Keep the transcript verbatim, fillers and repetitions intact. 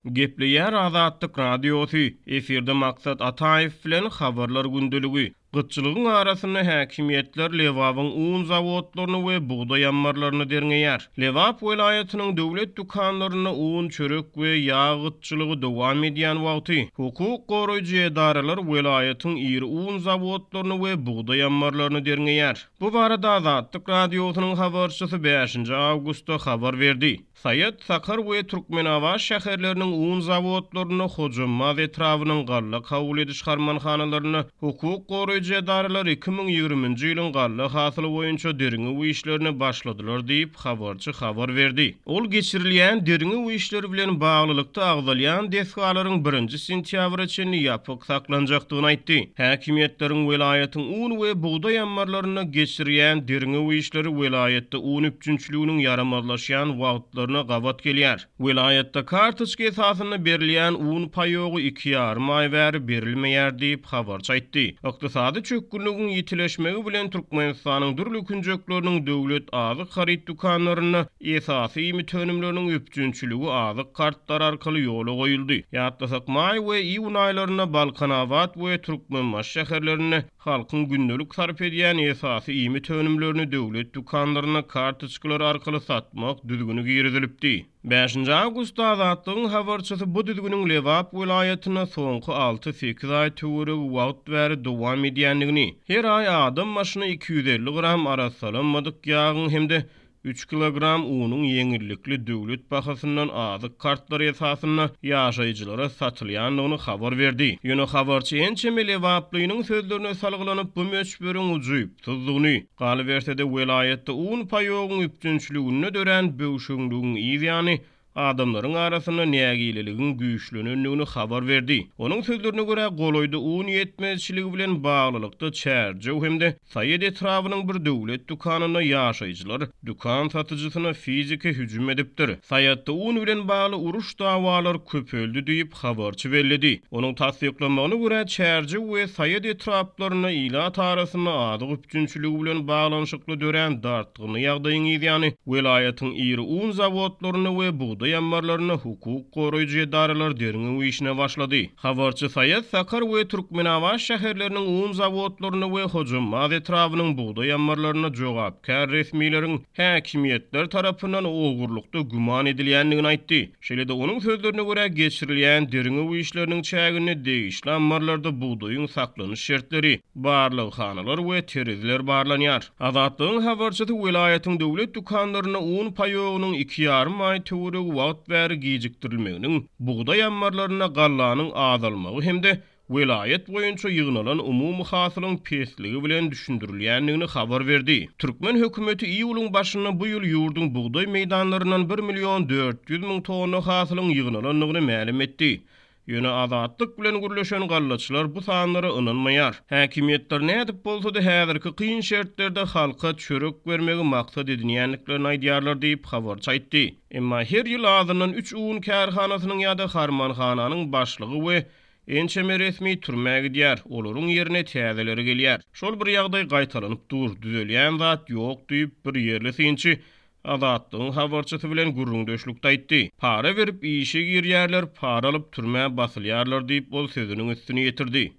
Gepleýär Azatlyk Radiosy, efirde Maksat Ataýew bilen Habarlar gündeligi. Gytçylygyň arasynda häkimiýetler Lebabyň un zawodlaryny we bugdaý ammarlaryny derňeýär. Lebap welaýatynyň döwlet dükanlarynda un, çörek we ýag gytçylygy dowam edýän wagty, hukuk goraýjy edaralar welaýatyň iri un zawodlaryny we bugdaý ammarlaryny derňeýär. Bu barada Azatlyk Radiosynyň habarçysy bäşinji awgustda habar berdi. Saýat, Sakar we Türkmenabat şäherleriniň un zawodlarynda, Hojambaz etrabynyň galla kabul ediş harmanhanalarynda hukuk goraýjy edaralar iki müň ýigriminji ýylyň galla hasyly boýunça derňew işlerine başladylar diýip, habarçy habar berdi. Ol geçirilýän derňew işleri bilen baglylykda agzalýan desgalaryň birinji sentýabra çenli ýapyk saklanjakdygyny aýtdy. Häkimiýetleriň welaýatyň un we bugdaý ammarlarynda geçirýän derňew işleri welaýatda un üpjünçiliginiň ýaramazlaşýan wagtlaryna gabat gelýär. Welaýatda kartoçka esasynda berilýän un paýogy iki ýarym aý bäri berilmeýär diýip, habarçy aýtdy. Ykdysady çökgünligiň ýitileşmegi bilen Türkmenistanyň dürli künjekleriniň döwlet azyk haryt dükanlarynda esasy iýmit önümleriniň üpjünçiligi azyk kartlary arkaly ýola goýuldy. Ýatlasak, maý we iýun aýlarynda Balkanabat we Türkmenbaşy şäherlerinde halkyň gündelik sarp edýän esasy iýmit önümlerini döwlet dükanlarynda kartoçkalar arkaly satmak düzgüni girizilipdi. Bäşinji awgustda Azatlygyň habarçysy bu düzgüniň Lebap welaýatynda soňky alty-sekiz aý töweregi wagt bäri dowam edýändigini, her aý adam başyna iki ýüz elli gram arassalanmadyk ýagyň hem-de üç kilogram unuň ýeňillikli döwlet bahasyndan azyk kartlary esasynda ýaşaýjylara satylýandygyny habar berdi. Ýöne habarçy ençeme lebaplynyň sözlerine salgylanyp, bu möçberiň ujypsyzdygyny, galyberse-de welaýatda un paýogyň üpjünçiliginde dörän böwşeňligiň yz ýany adamlaryň arasynda nägileligiň güýçlenendigini habar berdi. Onuň sözlerine görä, golaýda un ýetmezçiligi bilen baglylykda Çärjew hem-de Saýat etrabynyň bir döwlet dükanynda ýaşaýjylar dükan satyjysyna fiziki hüjüm edipdir. Saýatda un bilen bagly uruş dawalar köpeldi diýip, habarçy belledi. Onuň tassyklamagyna görä, Çärjew we Saýat etraplarynda ilat arasynda azyk üpjünçiligi bilen baglanyşykly dörän dartgynly ýagdaýyň yz ýany welaýatyň iri un zawodlarynda we bugdaý ammarlarynda hukuk goraýjy edaralar derňew işine başlady. Habarçy Saýat, Sakar we Türkmenabat şäherleriniň un zawodlarynda we Hojambaz etrabynyň bugdaý ammarlarynda jogapkär resmileriň häkimiýetler tarapyndan ogurlykda güman edilýändigini aýtdy. Şeýle-de onuň sözlerine görä, geçirilýän derňew işleriniň çäginde degişli ammarlarda bugdaýyň saklanyş şertleri, barlaghanalar we tereziler barlanýar. Azatlygyň habarçysy welaýatyň döwlet dükanlarynda un paýogynyň iki ýarym aý töweregi wagt bäri gijikdirilmeginiň, bugdaý ammarlarynda gallanyň azalmagy hem-de welaýat boýunça ýygnalan umumy hasylyň pesligi bilen düşündirilýändigini habar berdi. Türkmen hökümeti iýulyň başynda bu ýyl ýurduň bugdaý meýdanlaryndan bir million dört ýüz müň tonna hasylyň ýygnalandygyny mälim etdi. Ýöne Azatlyk bilen gürleşen gallaçylar bu sanlara ynanmaýar. Häkimiýetler nädip bolsa-da häzirki kyn şertlerde halka çörek bermegi maksat edinýändiklerini aýdýarlar diýip, habarçy aýtdy. Emma her ýyl azyndan üç un kärhanasynyň ýa-da harmanhananyň başlygy we ençeme resmi türmä gidýär, olaryň ýerine täzeleri gelýär. Şol bir ýagdaý gaýtalanyp dur, düzelýän zat ýok diýip, bir ýerli synçy Azatlygyň habarçysy bilen gürrüňdeşlikde aýtdy. Para berip işe girýärler, para alyp türmä basylýarlar diýip, ol sözüniň üstüni ýetirdi.